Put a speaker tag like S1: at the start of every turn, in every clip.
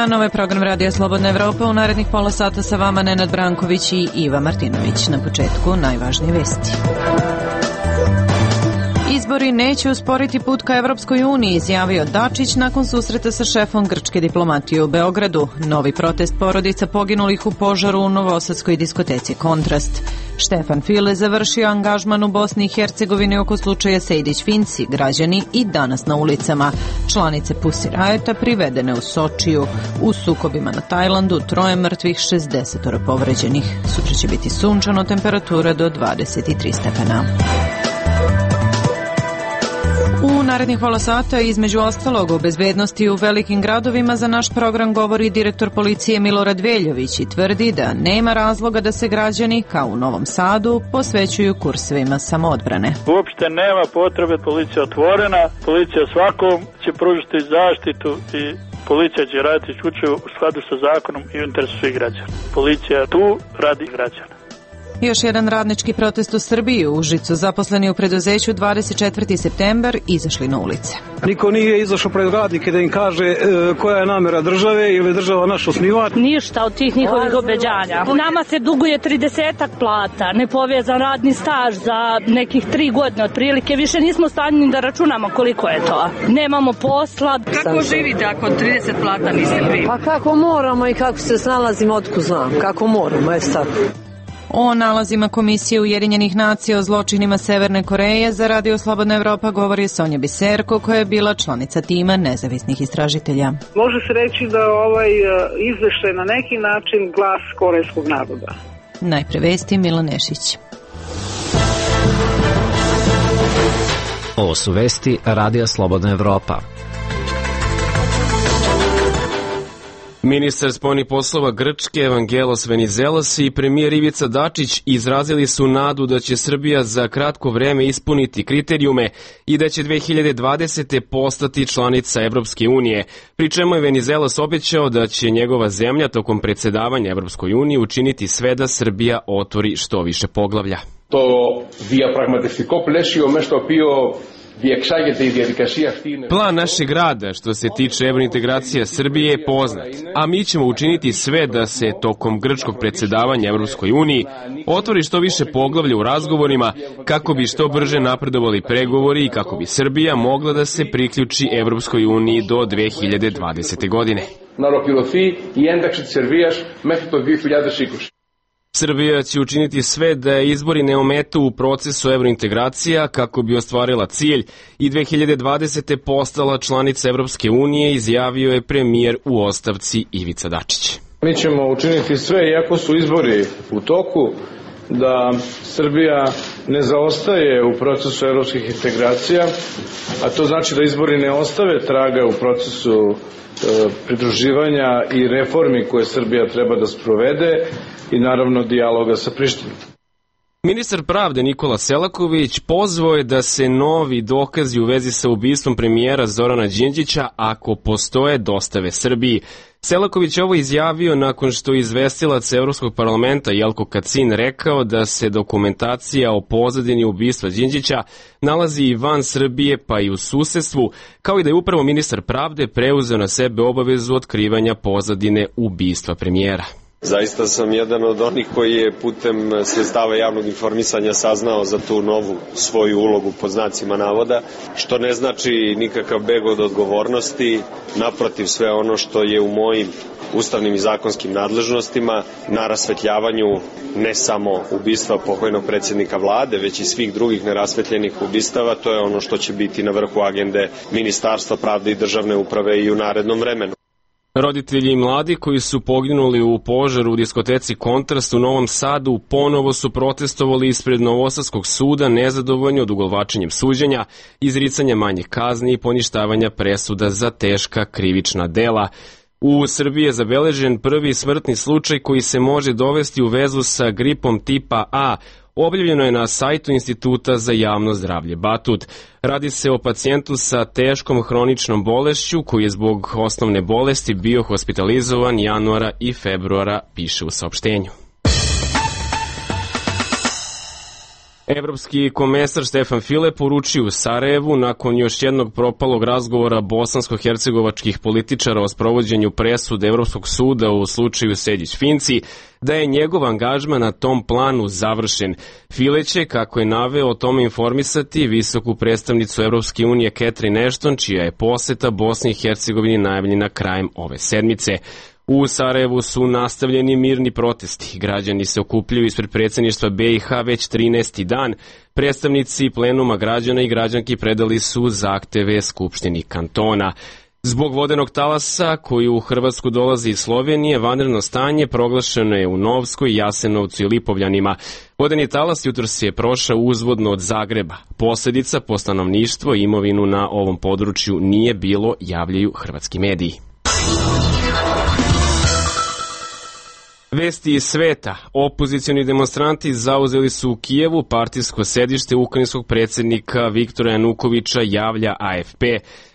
S1: dan, ovo je program Radija Slobodna Evropa. U narednih pola sata sa vama Nenad Branković i Iva Martinović. Na početku najvažnije vesti. Izbori neće usporiti put ka Evropskoj uniji, izjavio Dačić nakon susreta sa šefom grčke diplomatije u Beogradu. Novi protest porodica poginulih u požaru u novosadskoj diskoteci Kontrast. Štefan File završio angažman u Bosni i Hercegovini oko slučaja Sejdić-Finci, građani i danas na ulicama. Članice Pussy Riota privedene u Sočiju. U sukobima na Tajlandu 3 mrtvih, 60 povređenih. Sutra će biti sunčano, temperatura do 23 stepena. U narednih pola sata, između ostalog, o bezbednosti u velikim gradovima za naš program govori direktor policije Milorad Veljović i tvrdi da nema razloga da se građani, kao u Novom Sadu, posvećuju kursevima samoodbrane.
S2: Uopšte nema potrebe, policija otvorena, policija svakom će pružiti zaštitu i policija će raditi isključivo u skladu sa zakonom i u interesu svih građana. Policija je tu radi građana.
S1: Još jedan radnički protest u Srbiji. U Užicu zaposleni u preduzeću 24. septembar izašli na ulice.
S3: Niko nije izašao pred radnike da im kaže koja je namera države ili država naš osnivač.
S4: Ništa od tih njihovih obećanja. Nama se duguje 30 plata, nepovezan radni staž za nekih 3 godine otprilike. Više nismo stanjeni da računamo koliko je to. Nemamo posla.
S5: Kako živite ako 30 plata niste primi?
S6: Pa kako moramo i kako se snalazimo, otkud znam. Kako moramo, tako.
S1: O nalazima Komisije Ujedinjenih nacija o zločinima Severne Koreje za Radio Slobodna Evropa govori Sonja Biserko, koja je bila članica tima nezavisnih istražitelja.
S7: Može se reći da ovaj izveštaj na neki način glas korejskog naroda.
S1: Najpre vesti, Milan Nešić.
S8: Ovo su vesti Radija Slobodna Evropa.
S9: Ministar spoljnih poslova Grčke Evangelos Venizelos i premijer Ivica Dačić izrazili su nadu da će Srbija za kratko vreme ispuniti kriterijume i da će 2020. postati članica Evropske unije, pri čemu je Venizelos obećao da će njegova zemlja tokom predsedavanja Evropskoj uniji učiniti sve da Srbija otvori što više poglavlja.
S10: To diapραγματευτικό πλαίσιο μέσα στο οποίο
S9: Plan našeg rada što se tiče evrointegracija Srbije je poznat, a mi ćemo učiniti sve da se tokom grčkog predsedavanja Evropskoj uniji otvori što više poglavlja u razgovorima kako bi što brže napredovali pregovori i kako bi Srbija mogla da se priključi Evropskoj uniji do 2020. godine. Srbija će učiniti sve da izbori ne ometu u procesu evrointegracija kako bi ostvarila cilj i 2020. postala članica Evropske unije, izjavio je premijer u ostavci Ivica Dačić.
S10: Mi ćemo učiniti sve, iako su izbori u toku, da Srbija ne zaostaje u procesu evropskih integracija, a to znači da izbori ne ostave traga u procesu pridruživanja i reformi koje Srbija treba da sprovede i naravno dijaloga sa Prištinom.
S9: Ministar pravde Nikola Selaković pozvao je da se novi dokazi u vezi sa ubistvom premijera Zorana Đinđića, ako postoje, dostave Srbiji. Selaković ovo izjavio nakon što je izvestilac Evropskog parlamenta Jelko Kacin rekao da se dokumentacija o pozadini ubistva Đinđića nalazi i van Srbije pa i u susedstvu, kao i da je upravo ministar pravde preuzeo na sebe obavezu otkrivanja pozadine ubistva premijera.
S11: Zaista sam jedan od onih koji je putem sredstava javnog informisanja saznao za tu novu svoju ulogu pod znacima navoda, što ne znači nikakav beg od odgovornosti, naprotiv sve ono što je u mojim ustavnim i zakonskim nadležnostima na rasvetljavanju ne samo ubistva pokojnog predsjednika vlade, već i svih drugih nerasvetljenih ubistava, to je ono što će biti na vrhu agende Ministarstva pravde i državne uprave i u narednom vremenu.
S9: Roditelji i mladi koji su poginuli u požaru u diskoteci Kontrast u Novom Sadu ponovo su protestovali ispred Novosadskog suda nezadovoljni odugovlačenjem suđenja, izricanja manjih kazni i poništavanja presuda za teška krivična dela. U Srbiji je zabeležen prvi smrtni slučaj koji se može dovesti u vezu sa gripom tipa A. Objavljeno je na sajtu Instituta za javno zdravlje Batut. Radi se o pacijentu sa teškom hroničnom bolešću koji je zbog osnovne bolesti bio hospitalizovan januara i februara, piše u saopštenju. Evropski komesar Stefan File poručio u Sarajevu nakon još jednog propalog razgovora bosansko-hercegovačkih političara o sprovođenju presude Evropskog suda u slučaju Sejdić-Finci da je njegov angažman na tom planu završen. File će, kako je naveo, o tome informisati visoku predstavnicu Evropske unije Catherine Ashton, čija je poseta Bosni i Hercegovini najavljena krajem ove sedmice. U Sarajevu su nastavljeni mirni protesti. Građani se okupljaju ispred predsjedništva BiH već 13. dan. Predstavnici plenuma građana i građanki predali su zahteve Skupštini kantona. Zbog vodenog talasa koji u Hrvatsku dolazi iz Slovenije, vanredno stanje proglašeno je u Novskoj, Jasenovcu i Lipovljanima. Vodeni talas jutros je prošao uzvodno od Zagreba. Posljedica po stanovništvo i imovinu na ovom području nije bilo, javljaju hrvatski mediji. Vesti iz sveta. Opozicioni demonstranti zauzeli su u Kijevu partijsko sedište ukrajinskog predsjednika Viktora Janukovića, javlja AFP.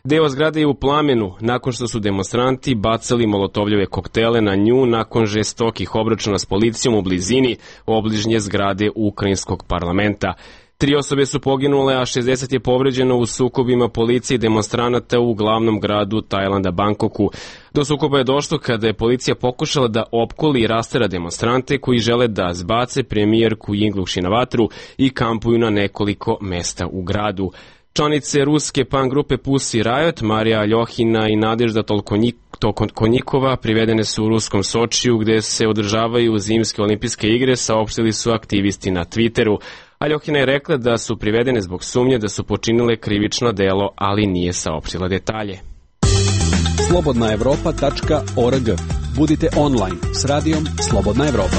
S9: Deo zgrade je u plamenu nakon što su demonstranti bacali molotovljeve koktele na nju nakon žestokih obračuna s policijom u blizini obližnje zgrade ukrajinskog parlamenta. 3 osobe su poginule, a 60 je povređeno u sukobima policije i demonstranata u glavnom gradu Tajlanda, Bangkoku. Do sukoba je došlo kada je policija pokušala da opkoli i rastera demonstrante koji žele da zbace premijerku Yingluck na vatru i kampuju na nekoliko mesta u gradu. Članice ruske punk grupe Pussy Riot, Marija Aljohina i Nadežda Tolkonjikova privedene su u ruskom Sočiju gde se održavaju zimske olimpijske igre, saopštili su aktivisti na Twitteru. Aljohina je rekla da su privedene zbog sumnje da su počinile krivično delo, ali nije saopštila detalje.
S12: slobodnaevropa.org. Budite online s radijom Slobodna Evropa.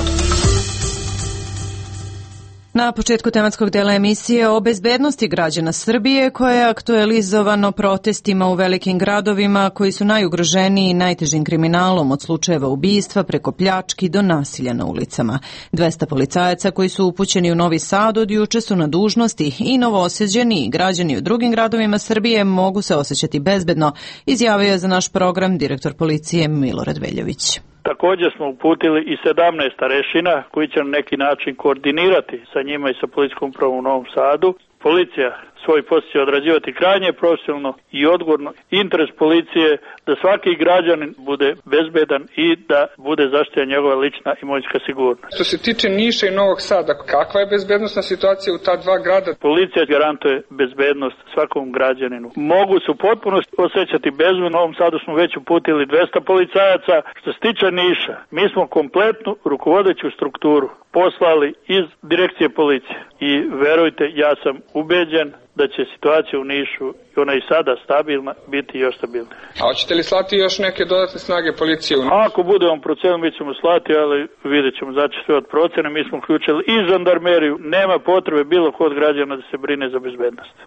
S1: Na početku tematskog dela emisije o bezbednosti građana Srbije, koje je aktualizovano protestima u velikim gradovima koji su najugroženiji najtežim kriminalom od slučajeva ubistva preko pljački do nasilja na ulicama. 200 policajaca koji su upućeni u Novi Sad od juče su na dužnosti i novoosjeđeni i građani u drugim gradovima Srbije mogu se osjećati bezbedno, izjavio je za naš program direktor policije Milorad Veljović.
S2: Također smo uputili i 17 starešina koji će na neki način koordinirati sa njima i sa policijskom upravom u Novom Sadu. Policija svoj posao će odrađivati krajnje profesionalno i odgovorno. Interes policije da svaki građanin bude bezbedan i da bude zaštićena njegova lična imovinska sigurnost.
S13: Što se tiče Niša i Novog Sada, kakva je bezbednosna situacija u ta dva grada?
S2: Policija garantuje bezbednost svakom građaninu. Mogu se u potpunosti osjećati bezbedno. U Novom Sadu smo već uputili 200 policajaca. Što se tiče Niša, mi smo kompletnu rukovodeću strukturu poslali iz direkcije policije. I verujte, ja sam ubeđen da će situacija u Nišu, i ona i sada stabilna, biti još stabilna.
S13: A hoćete li slati još neke dodatne snage policije u Nišu?
S2: Ako budemo procenili, mi ćemo slati, ali vidjet ćemo, znači sve od procene. Mi smo uključili i žandarmeriju. Nema potrebe bilo kod građana da se brine za bezbednost.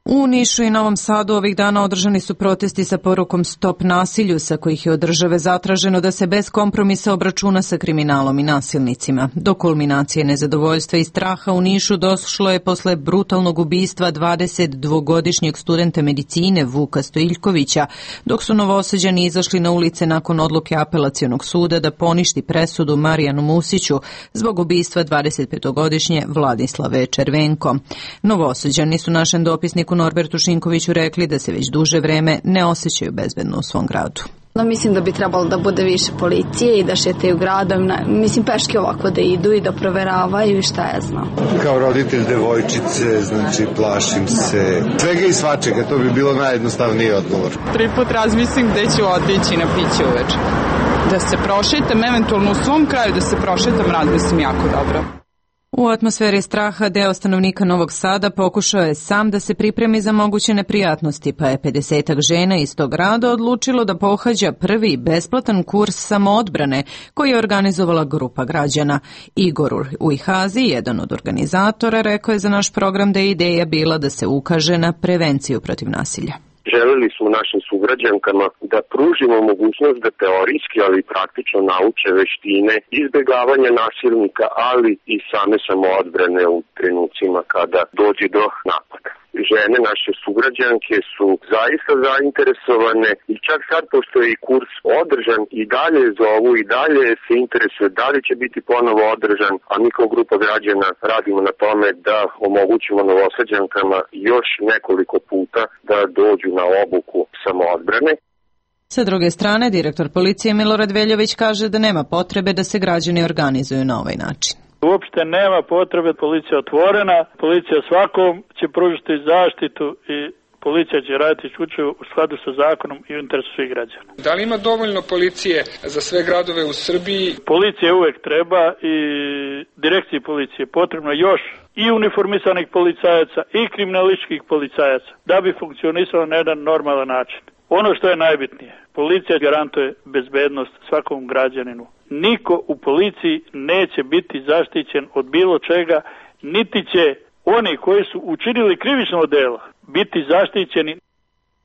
S1: U Nišu i Novom Sadu ovih dana održani su protesti sa porukom Stop nasilju, sa kojih je od države zatraženo da se bez kompromisa obračuna sa kriminalom i nasilnicima. Do kulminacije nezadovoljstva i straha u Nišu došlo je posle brutalnog ubistva 22-godišnjeg studenta medicine Vuka Stojiljkovića, dok su Novosađani izašli na ulice nakon odluke apelacionog suda da poništi presudu Marijanu Musiću zbog ubistva 25-godišnje Vladislave Červenko. Novosađani su našem dopisniku Norbertu Šinkoviću rekli da se već duže vreme ne osjećaju bezbedno u svom gradu.
S14: Mislim da bi trebalo da bude više policije i da šetaju gradom, mislim peške ovako da idu i da proveravaju i šta ja znam.
S15: Kao roditelj devojčice, znači plašim se svega i svačega, to bi bilo najjednostavniji odgovor.
S16: 3 put razmislim gde ću otići na piće uveče. Da se prošetam, eventualno u svom kraju da se prošetam, razmislim jako dobro.
S1: U atmosferi straha deo stanovnika Novog Sada pokušao je sam da se pripremi za moguće neprijatnosti, pa je 50-ak žena iz tog grada odlučilo da pohađa prvi besplatan kurs samoodbrane koji je organizovala grupa građana. Igor Ujhazi, jedan od organizatora, rekao je za naš program da je ideja bila da se ukaže na prevenciju protiv nasilja.
S17: Želeli smo našim sugrađankama da pružimo mogućnost da teorijski, ali i praktično nauče veštine izbjegavanja nasilnika, ali i same samoodbrane u trenucima kada dođe do napada. žene, naše sugrađanke su zaista zainteresovane i čak sad pošto je i kurs održan i dalje zovu i dalje se interesuje da li će biti ponovo održan, a mi kao grupa građana radimo na tome da omogućimo Novosađankama još nekoliko puta da dođu na obuku samoodbrane.
S1: Sa druge strane, direktor policije Milorad Veljović kaže da nema potrebe da se građani organizuju na ovaj način.
S2: Uopšte nema potrebe, policija je otvorena, policija svakom će pružiti zaštitu i policija će raditi isključivo u skladu sa zakonom i u interesu svih građana.
S13: Da li ima dovoljno policije za sve gradove u Srbiji?
S2: Policije uvek treba i direkciji policije potrebno još i uniformisanih policajaca i kriminalističkih policajaca da bi funkcionisalo na jedan normalan način. Ono što je najbitnije, policija garantuje bezbednost svakom građaninu. Niko u policiji neće biti zaštićen od bilo čega, niti će oni koji su učinili krivično delo biti zaštićeni.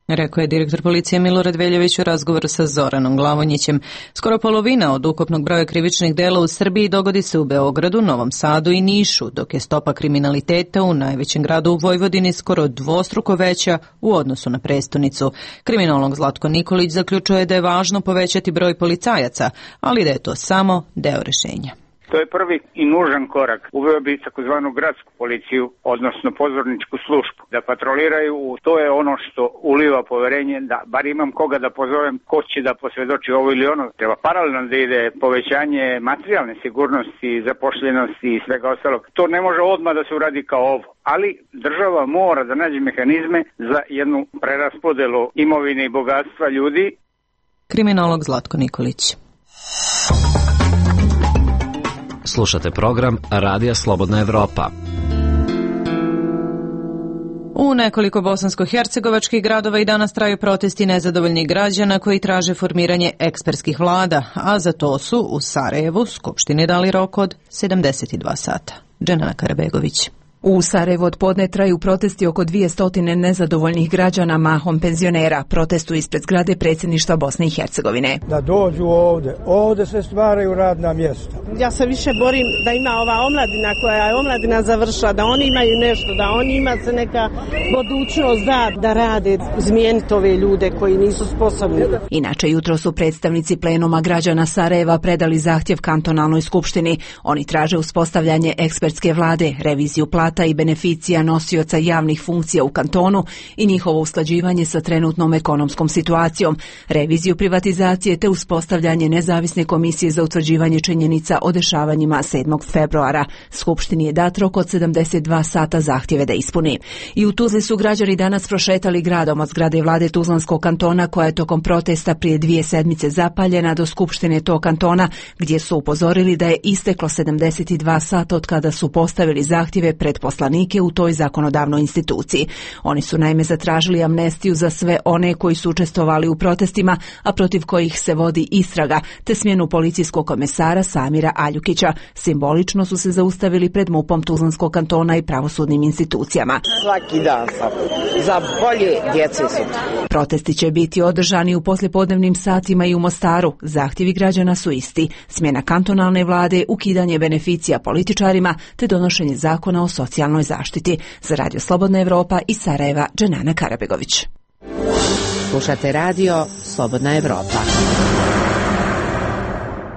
S1: Rekao je direktor policije Milorad Veljović u razgovoru sa Zoranom Glavonjićem. Skoro polovina od ukupnog broja krivičnih dela u Srbiji dogodi se u Beogradu, Novom Sadu i Nišu, dok je stopa kriminaliteta u najvećem gradu u Vojvodini skoro dvostruko veća u odnosu na prestonicu. Kriminolog Zlatko Nikolić zaključuje da je važno povećati broj policajaca, ali da je to samo deo rešenja.
S18: To je prvi i nužan korak. Uveo bi takozvanu gradsku policiju, odnosno pozorničku službu, da patroliraju. To je ono što uliva poverenje, da bar imam koga da pozovem, ko će da posvedoči ovo ili ono. Treba paralelno da ide povećanje materijalne sigurnosti, zapošljenosti i svega ostalog. To ne može odmah da se uradi kao ovo, ali država mora da nađe mehanizme za jednu preraspodelu imovine i bogatstva ljudi.
S1: Kriminolog Zlatko Nikolić.
S8: Slušate program Radija Slobodna Evropa.
S1: U nekoliko bosansko-hercegovačkih gradova i danas traju protesti nezadovoljnih građana koji traže formiranje ekspertskih vlada, a za to su u Sarajevu Skupštini dali rok od 72 sata. Dženana Karabegović.
S19: U Sarajevu od podne traju protesti oko 200 nezadovoljnih građana, mahom penzionera. Protestuju ispred zgrade predsjedništva Bosne i Hercegovine.
S20: Da dođu ovde se stvaraju radna mjesta.
S21: Ja se više borim da ima ova omladina koja je omladina završila, da oni imaju nešto, da oni ima se neka budućnost da rade, izmijeniti ove ljude koji nisu sposobni.
S19: Inače, jutro su predstavnici plenuma građana Sarajeva predali zahtjev kantonalnoj skupštini. Oni traže uspostavljanje ekspertske vlade, reviziju plata i beneficija nosioca javnih funkcija u kantonu i njihovo usklađivanje sa trenutnom ekonomskom situacijom, reviziju privatizacije te uspostavljanje nezavisne komisije za utvrđivanje činjenica o dešavanjima 7. februara. Skupštini je dat rok od 72 sata zahtjeve da ispuni. I u Tuzli su građani danas prošetali gradom od zgrade vlade Tuzlanskog kantona koja je tokom protesta prije 2 sedmice zapaljena do skupštine tog kantona gdje su upozorili da je isteklo 72 sata od kada su postavili zahtjeve pred poslanike u toj zakonodavnoj instituciji. Oni su naime zatražili amnestiju za sve one koji su učestvovali u protestima, a protiv kojih se vodi istraga, te smjenu policijskog komesara Samira Aljukića. Simbolično su se zaustavili pred MUP-om Tuzlanskog kantona i pravosudnim institucijama.
S21: Svaki dan za bolje djece su.
S19: Protesti će biti održani u poslijepodnevnim satima i u Mostaru. Zahtjevi građana su isti: smjena kantonalne vlade, ukidanje beneficija političarima, te donošenje zakona o socijalnoj zaštiti. Za Radio Slobodna Evropa iz Sarajeva, Dženana Karabegović.
S22: Slušate Radio Slobodna Evropa.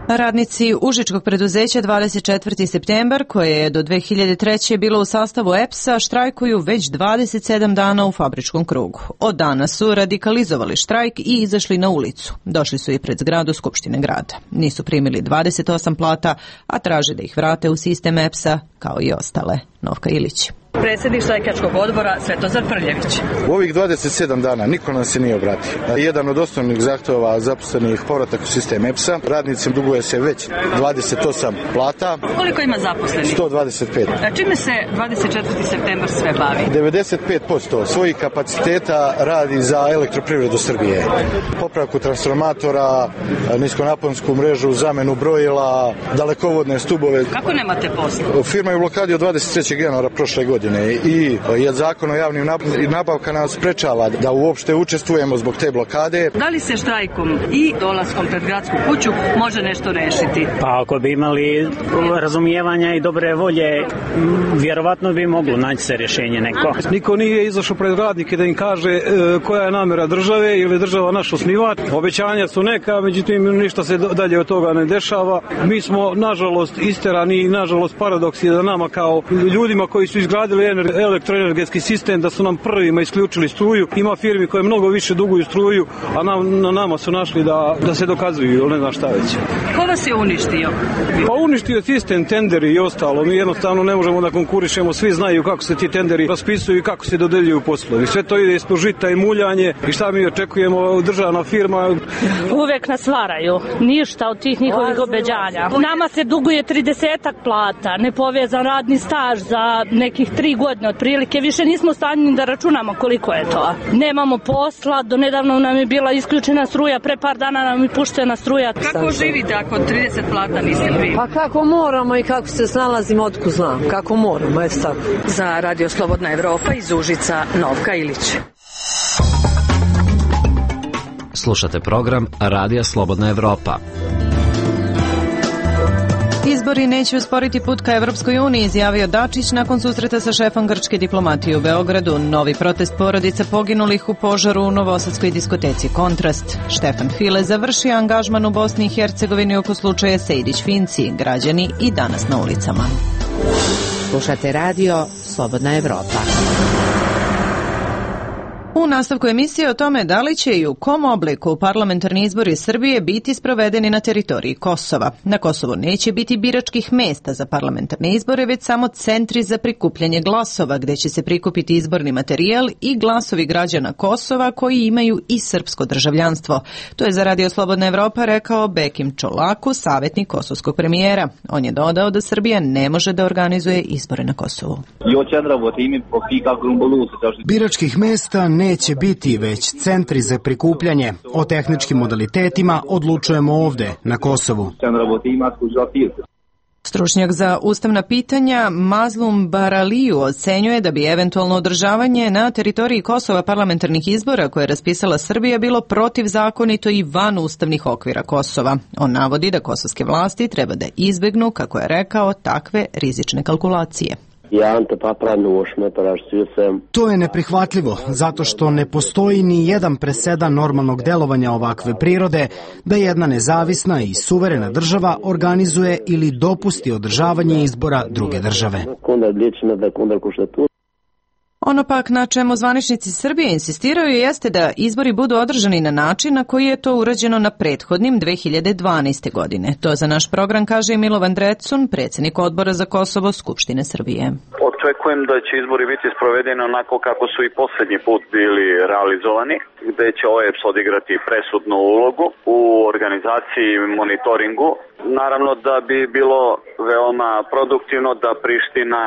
S1: Radnici užičkog preduzeća 24. septembar, koje je do 2003. bilo u sastavu EPS-a, štrajkuju već 27 dana u fabričkom krugu. Od danas su radikalizovali štrajk i izašli na ulicu. Došli su i pred zgradu Skupštine grada. Nisu primili 28 plata, a traže da ih vrate u sistem EPS-a, kao i ostale. Novka Ilić.
S5: Predsjednik štrajkačkog odbora Svetozar Prljević.
S23: U ovih 27 dana niko nam se nije obratio. Jedan od osnovnih zahtjeva zaposlenih povratak u sistem EPS-a. Radnicima duguje se već 28 plata.
S5: Koliko ima zaposlenih?
S23: 125.
S5: A čime se 24. septembar sve bavi?
S23: 95% svojih kapaciteta radi za elektroprivredu Srbije. Popravku transformatora, niskonaponsku mrežu, zamenu brojila, dalekovodne stubove.
S5: Kako nemate posla?
S23: Firma je u blokadi od 23. januara prošle godine. godine i zakon o javnim nabavkama nas sprečava da uopšte učestvujemo zbog te blokade.
S5: Da li se štrajkom i dolaskom pred gradsku kuću može nešto rešiti?
S3: Pa ako bi imali razumijevanja i dobre volje, vjerovatno bi moglo naći se rješenje neko.
S20: Niko nije izašao pred radnike da im kaže koja je namjera države ili država naš osnivač. Obećanja su neka, međutim ništa se dalje od toga ne dešava. Mi smo nažalost isterani i nažalost paradoks je da nama kao ljudima koji su izgradili elektroenergetski sistem da su nam prvima isključili struju. Ima firmi koje mnogo više duguju struju, a na nama su našli da se dokazuju ili ne znam šta već.
S5: Ko vas je uništio?
S20: Pa uništio sistem, tenderi i ostalo. Mi jednostavno ne možemo da konkurišemo. Svi znaju kako se ti tenderi raspisuju i kako se dodeljuju poslovi. Sve to ide ispod žita i muljanje i šta mi očekujemo, državna firma.
S4: Uvek nas varaju. Ništa od tih njihovih obećanja. Nama se duguje 30 plata, nepovezan radni staž za nekih 3 godine otprilike. Više nismo stanjeni da računamo koliko je to. Nemamo posla, do nedavno nam je bila isključena struja, pre par dana nam je puštena struja.
S5: Kako živite ako 30 plata niste vi?
S6: Pa kako moramo i kako se snalazimo, otkud znam. Kako moramo, eto tako.
S5: Za Radio Slobodna Evropa iz Užica, Novka Ilić.
S8: Slušate program Radija Slobodna Evropa.
S1: Izbori neće usporiti put ka Evropskoj uniji, izjavio Dačić nakon susreta sa šefom grčke diplomatije u Beogradu. Novi protest porodica poginulih u požaru u novosadskoj diskoteci Kontrast. Štefan File završio angažman u Bosni i Hercegovini oko slučaja Sejdić-Finci. Građani i danas na ulicama.
S22: Slušate radio Slobodna Evropa.
S1: U nastavku emisije o tome da li će i u kom obliku parlamentarni izbori Srbije biti sprovedeni na teritoriji Kosova. Na Kosovu neće biti biračkih mesta za parlamentarne izbore, već samo centri za prikupljanje glasova, gde će se prikupiti izborni materijal i glasovi građana Kosova koji imaju i srpsko državljanstvo. To je za Radio Slobodna Evropa rekao Bekim Čolaku, savjetnik kosovskog premijera. On je dodao da Srbija ne može da organizuje izbore na Kosovu.
S24: Biračkih mesta neće biti, već centri za prikupljanje. O tehničkim modalitetima odlučujemo ovde, na Kosovu.
S1: Stručnjak za ustavna pitanja Mazlum Baraliju ocenjuje da bi eventualno održavanje na teritoriji Kosova parlamentarnih izbora koje je raspisala Srbija bilo protivzakonito i van ustavnih okvira Kosova. On navodi da kosovske vlasti treba da izbegnu, kako je rekao, takve rizične kalkulacije.
S24: To je neprihvatljivo, zato što ne postoji ni jedan presedan normalnog delovanja ovakve prirode da jedna nezavisna i suverena država organizuje ili dopusti održavanje izbora druge države.
S1: Ono pak na čemu zvaničnici Srbije insistiraju jeste da izbori budu održani na način na koji je to urađeno na prethodnim 2012. godine. To za naš program kaže Milovan Drecun, predsjednik odbora za Kosovo Skupštine Srbije.
S25: Očekujem da će izbori biti sprovedeni onako kako su i posljednji put bili realizovani, gde će OEBS odigrati presudnu ulogu u organizaciji i monitoringu. Naravno da bi bilo veoma produktivno da Priština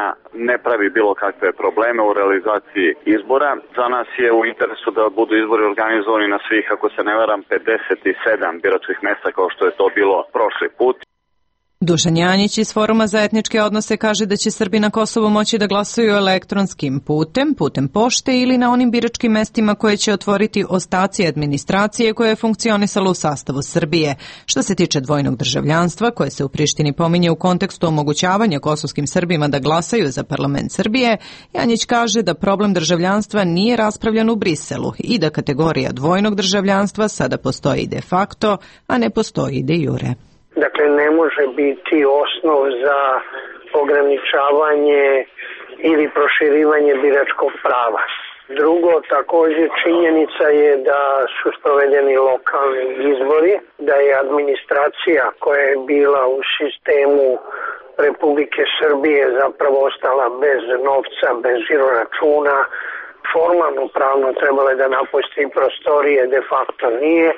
S25: ne pravi bilo kakve probleme u realizaciji izbora. Za nas je u interesu da budu izbori organizovani na svih, ako se ne varam, 57 biračkih mesta kao što je to bilo prošli put.
S1: Dušan Janjić iz Foruma za etničke odnose kaže da će Srbi na Kosovu moći da glasaju elektronskim putem pošte ili na onim biračkim mestima koje će otvoriti ostaci administracije koja je funkcionisala u sastavu Srbije. Što se tiče dvojnog državljanstva, koje se u Prištini pominje u kontekstu omogućavanja kosovskim Srbima da glasaju za parlament Srbije, Janjić kaže da problem državljanstva nije raspravljan u Briselu i da kategorija dvojnog državljanstva sada postoji de facto, a ne postoji de jure.
S26: Dakle, ne može biti osnov za ograničavanje ili proširivanje biračkog prava. Drugo, također činjenica je da su sprovedeni lokalni izbori, da je administracija koja je bila u sistemu Republike Srbije zapravo ostala bez novca, bez žiroračuna, formalno pravno trebalo je da napusti prostorije, de facto nije.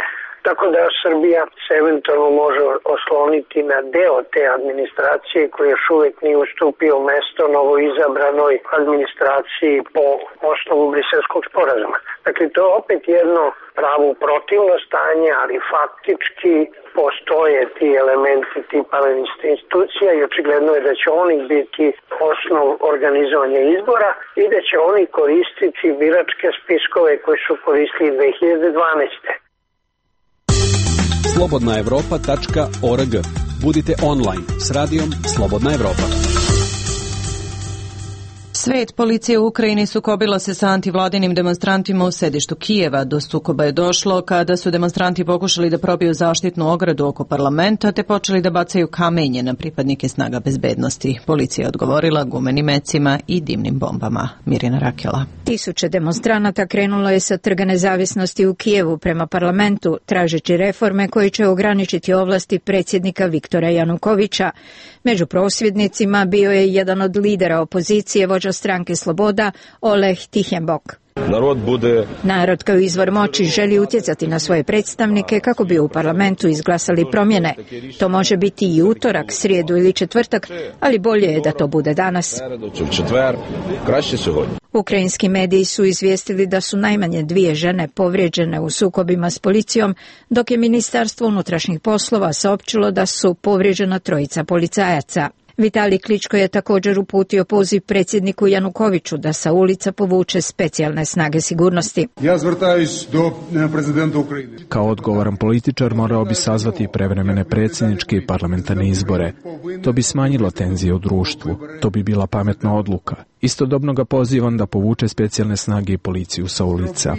S26: tako da Srbija se eventualno može osloniti na deo te administracije koji još uvek nije ustupio mesto novoizabranoj administraciji po osnovu Briselskog sporazuma. Dakle, to je opet jedno pravo protivno stanje, ali faktički postoje ti elementi tipa institucija i očigledno je da će oni biti osnov organizovanja izbora i da će oni koristiti biračke spiskove koji su koristili 2012.
S7: slobodnaevropa.org. Budite online s radijom Slobodna Evropa.
S1: Svet policije u Ukrajini sukobila se sa antivladinim demonstrantima u sedištu Kijeva. Do sukoba je došlo kada su demonstranti pokušali da probiju zaštitnu ogradu oko parlamenta te počeli da bacaju kamenje na pripadnike snaga bezbednosti. Policija je odgovorila gumenim mecima i dimnim bombama. Mirjana Rakela.
S9: Tisuće demonstranata krenulo je sa Trga nezavisnosti u Kijevu prema parlamentu, tražeći reforme koje će ograničiti ovlasti predsjednika Viktora Janukovića. Među prosvjednicima bio je jedan od lidera opozicije, vođa stranke Sloboda, Oleh Tihenbok. Narod kao izvor moći želi utjecati na svoje predstavnike kako bi u parlamentu izglasali promjene. To može biti i utorak, srijedu ili četvrtak, ali bolje je da to bude danas. Ukrajinski mediji su izvijestili da su najmanje 2 žene povrijeđene u sukobima s policijom, dok je Ministarstvo unutrašnjih poslova saopćilo da su povrijeđena 3 policajaca. Vitalij Kličko je također uputio poziv predsjedniku Janukoviću da sa ulica povuče specijalne snage sigurnosti.
S10: Kao odgovoran političar morao bi sazvati prevremene predsjedničke i parlamentarne izbore. To bi smanjilo tenzije u društvu. To bi bila pametna odluka. Istodobno ga pozivam da povuče specijalne snage i policiju sa ulica.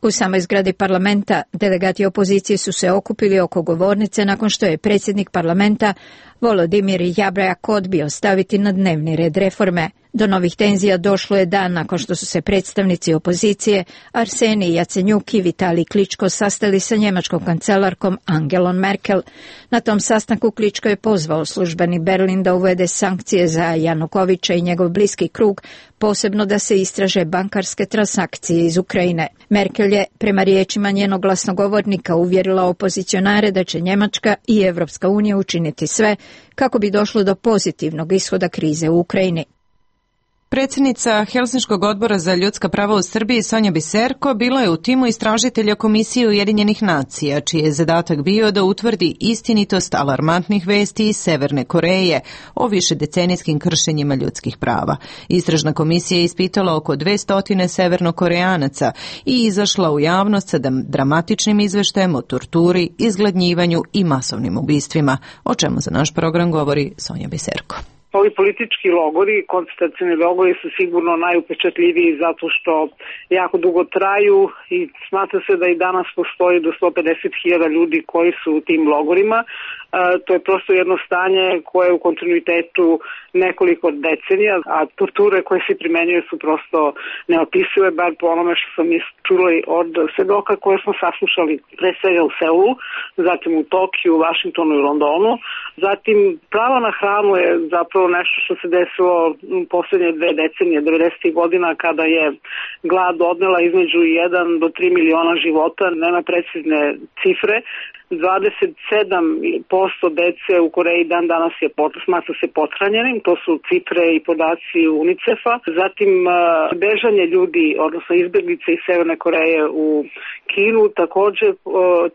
S9: U samoj zgradi parlamenta delegati opozicije su se okupili oko govornice nakon što je predsjednik parlamenta Volodimir Jabrajak odbio staviti na dnevni red reforme. Do novih tenzija došlo je dan nakon što su se predstavnici opozicije Arsenij Jacenjuk i Vitalij Kličko sastali sa njemačkom kancelarkom Angelom Merkel. Na tom sastanku Kličko je pozvao službeni Berlin da uvede sankcije za Janukovića i njegov bliski krug, posebno da se istraže bankarske transakcije iz Ukrajine. Merkel je, prema riječima njenog glasnogovornika, uvjerila opozicionare da će Njemačka i Evropska unija učiniti sve kako bi došlo do pozitivnog ishoda krize u Ukrajini.
S1: Predsjednica Helsinškog odbora za ljudska prava u Srbiji Sonja Biserko bila je u timu istražitelja Komisije Ujedinjenih nacija, čiji je zadatak bio da utvrdi istinitost alarmantnih vesti iz Severne Koreje o višedecenijskim kršenjima ljudskih prava. Istražna komisija je ispitala oko 200 severnokoreanaca i izašla u javnost sa dramatičnim izveštajem o torturi, izgladnjivanju i masovnim ubistvima, o čemu za naš program govori Sonja Biserko.
S11: Ovi politički logori, koncentracioni logori su sigurno najupečatljiviji zato što jako dugo traju i smatra se da i danas postoji do 150.000 ljudi koji su u tim logorima. To je prosto jedno stanje koje je u kontinuitetu nekoliko decenija, a torture koje se primenjuju su prosto neopisive, bar po onome što smo mi čuli od svedoka koje smo saslušali pre svega u Seulu, zatim u Tokiju, Vašingtonu i Londonu. Zatim pravo na hranu je zapravo nešto što se desilo u posljednje 2 decenije, 90. godina, kada je glad odnela između 1 do 3 miliona života, nema precizne cifre. 27% dece u Koreji dan danas je smatra se pothranjenim, to su cifre i podaci UNICEF-a. Zatim bežanje ljudi, odnosno izbjeglice iz Severne Koreje u Kinu, također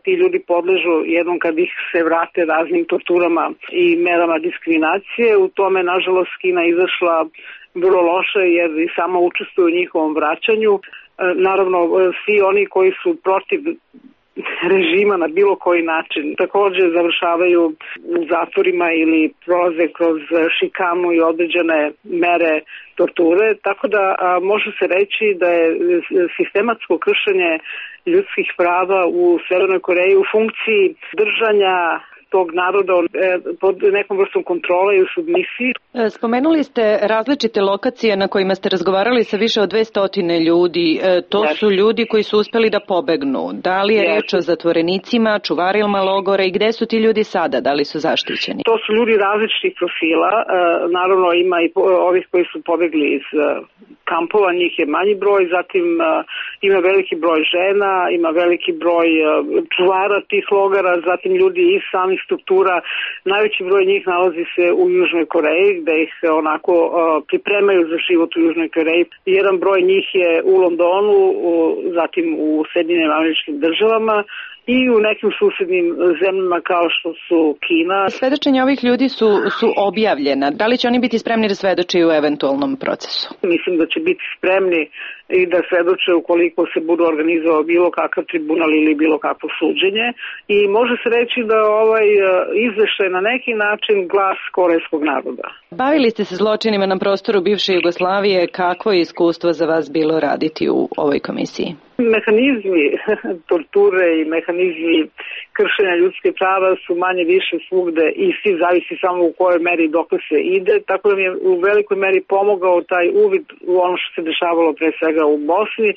S11: ti ljudi podležu jednom kad ih se vrate raznim torturama i merama diskriminacije. U tome, nažalost, Kina izašla vrlo loše jer i sama učestvuje u njihovom vraćanju. Naravno, svi oni koji su protiv režima na bilo koji način također završavaju u zatvorima ili prolaze kroz šikanu i određene mere torture, tako da može se reći da je sistematsko kršenje ljudskih prava u Severnoj Koreji u funkciji držanja tog naroda pod nekom vrstom kontrole i u submisiji.
S1: Spomenuli ste različite lokacije na kojima ste razgovarali sa više od 200 ljudi. To su ljudi koji su uspeli da pobegnu. Da li je riječ o zatvorenicima, čuvarima logora i gde su ti ljudi sada? Da li su zaštićeni?
S11: To su ljudi različitih profila. Naravno ima i ovih koji su pobegli iz kampova, njih je manji broj, zatim ima veliki broj žena, ima veliki broj čuvara tih logora, zatim ljudi iz samih struktura. Najveći broj njih nalazi se u Južnoj Koreji, gde ih onako pripremaju za život u Južnoj Koreji. Jedan broj njih je u Londonu, zatim u Sjedinjenim Američkim Državama i u nekim susednim zemljama kao što su Kina.
S1: Svedočenja ovih ljudi su objavljena. Da li će oni biti spremni da svedoče u eventualnom procesu?
S11: Mislim da će biti spremni i da svedoče ukoliko se budu organizovao bilo kakav tribunal ili bilo kakvo suđenje. I može se reći da ovaj izveštaj na neki način glas korejskog naroda.
S1: Bavili ste se zločinima na prostoru bivše Jugoslavije. Kakvo je iskustvo za vas bilo raditi u ovoj komisiji?
S11: Mehanizmi torture i mehanizmi kršenja ljudske prava su manje više svugde isti, zavisi samo u kojoj meri dok se ide, tako da mi je u velikoj meri pomogao taj uvid u ono što se dešavalo pre svega u Bosni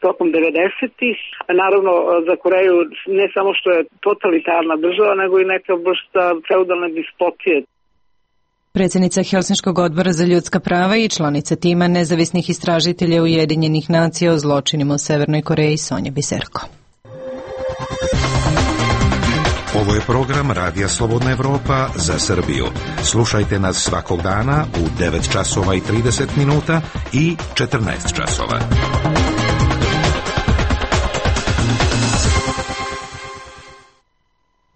S11: tokom 90-ih. Naravno za Koreju ne samo što je totalitarna država, nego i neka vrsta feudalne dispotije.
S1: Predsjednica Helsinškog odbora za ljudska prava i članica tima nezavisnih istražitelja Ujedinjenih nacija o zločinima u Severnoj Koreji Sonja Biserko.
S12: Ovo je program Radija Slobodna Evropa za Srbiju. Slušajte nas svakog dana u 9 časova i 30 minuta i 14 časova.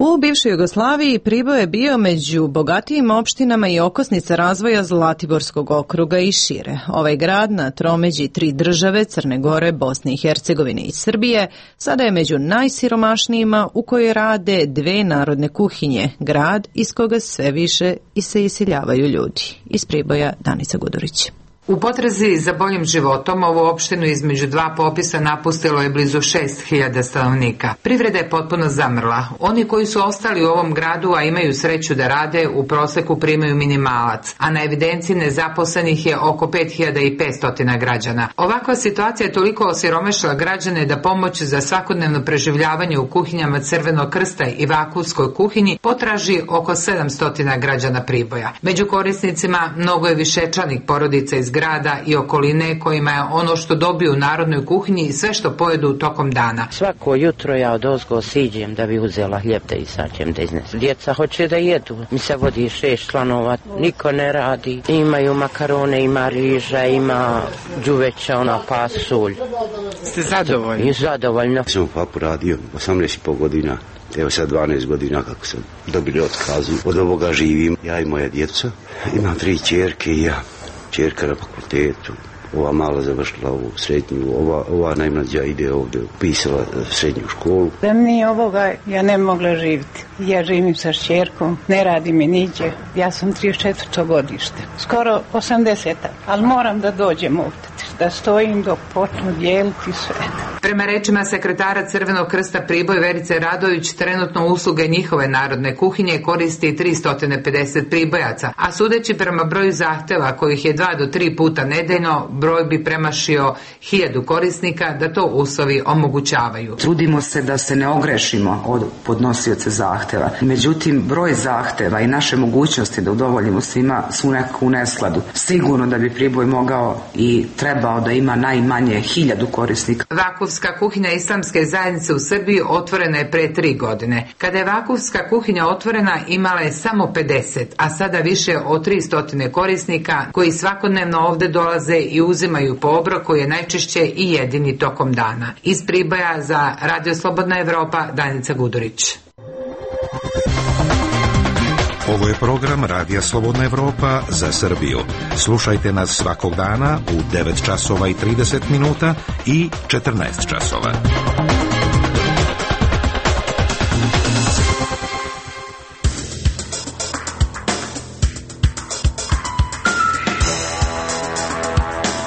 S1: U bivšoj Jugoslaviji Priboj je bio među bogatijim opštinama i okosnica razvoja Zlatiborskog okruga i šire. Ovaj grad na tromeđi 3 države, Crne Gore, Bosne i Hercegovine i Srbije, sada je među najsiromašnijima u kojoj rade 2 narodne kuhinje, grad iz koga sve više i se iseljavaju ljudi. Iz Priboja Danica Gudurić.
S13: U potrazi za boljim životom ovu opštinu između 2 popisa napustilo je blizu 6.000 stanovnika. Privreda je potpuno zamrla. Oni koji su ostali u ovom gradu, a imaju sreću da rade, u proseku primaju minimalac, a na evidenciji nezaposlenih je oko 5.500 građana. Ovakva situacija je toliko osiromašila građane da pomoć za svakodnevno preživljavanje u kuhinjama Crvenog krsta i Vakufskoj kuhinji potraži oko 700 građana Priboja. Među korisnicima mnogo je višečlanih porodica iz grada i okoline kojima je ono što dobiju u narodnoj kuhinji i sve što pojedu tokom dana.
S14: Svako jutro ja odozgo siđem da bi uzela hljeb da isaćem da iznesem. Djeca hoće da jedu. Mi se vodi 6 članova, niko ne radi. Imaju makarone, ima riža, ima đuveća, pasulj.
S13: Ste zadovoljni?
S14: I zadovoljno.
S15: Sam u FAP-u radio 18,5 godina. Evo sad 12 godina kako sam dobili otkazu. Od ovoga živim. Ja i moja djeca. Imam 3 ćerke i ja. Ćerka na fakultetu, ova mala završila ovu srednju, ova najmlađa ide ovdje, upisala srednju školu.
S16: Da nije ovoga, ja ne mogla živjeti. Ja živim sa šćerkom, ne radi mi niđe. Ja sam 34. godište, skoro 80. Ali moram da dođem ovdje, da stojim dok počnu dijeliti sve.
S13: Prema rečima sekretara Crvenog krsta Priboj Verice Radović, trenutno usluge njihove narodne kuhinje koristi 350 pribojaca, a sudeći prema broju zahteva kojih je 2 do 3 puta nedeljno, broj bi premašio 1000 korisnika da to uslovi omogućavaju.
S17: Trudimo se da se ne ogrešimo od podnosioca zahteva. Međutim, broj zahteva i naše mogućnosti da udovoljimo svima su nekako u neskladu. Sigurno da bi Priboj mogao i trebao da ima najmanje 1000 korisnika.
S13: Vakufska kuhinja Islamske zajednice u Srbiji otvorena je pre 3 godine. Kada je Vakufska kuhinja otvorena, imala je samo 50, a sada više od 300 korisnika koji svakodnevno ovde dolaze i uzimaju po obrok koji je najčešće i jedini tokom dana. Iz Priboja za Radio Slobodna Evropa, Danica Gudurić.
S12: Ovo je program Radija Slobodna Evropa za Srbiju. Slušajte nas svakog dana u 9 časova i 30 minuta i 14 časova.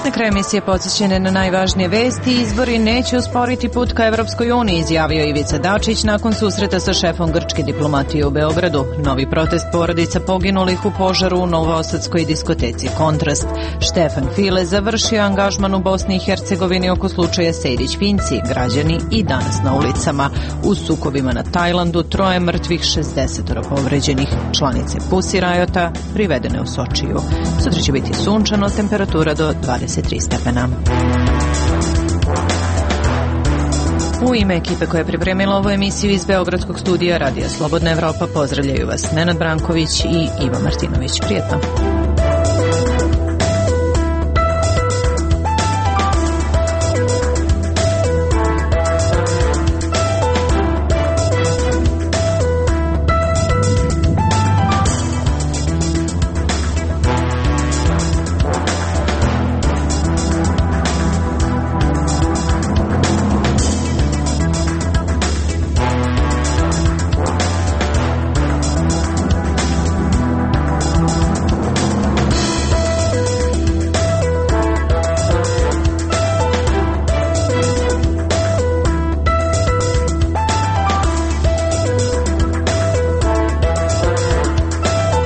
S1: Na kraju emisije podsjećene na najvažnije vesti. Izbori neće usporiti put ka Evropskoj uniji, izjavio Ivica Dačić nakon susreta sa šefom grčke diplomatije u Beogradu. Novi protest porodica poginulih u požaru u novosadskoj diskoteci Kontrast. Štefan File završio angažman u Bosni i Hercegovini oko slučaja Sejdić-Finci. Građani i danas na ulicama. U sukobima na Tajlandu 3 mrtvih, 60 povređenih. Članice Pussy Riota privedene u Sočiju. Sutra će biti sunčano, temperatura do 20 23 stepena. U ime ekipe koja je pripremila ovu emisiju iz Beogradskog studija Radija Slobodna Evropa pozdravljaju vas Nenad Branković i Ivo Martinović. Prijetno!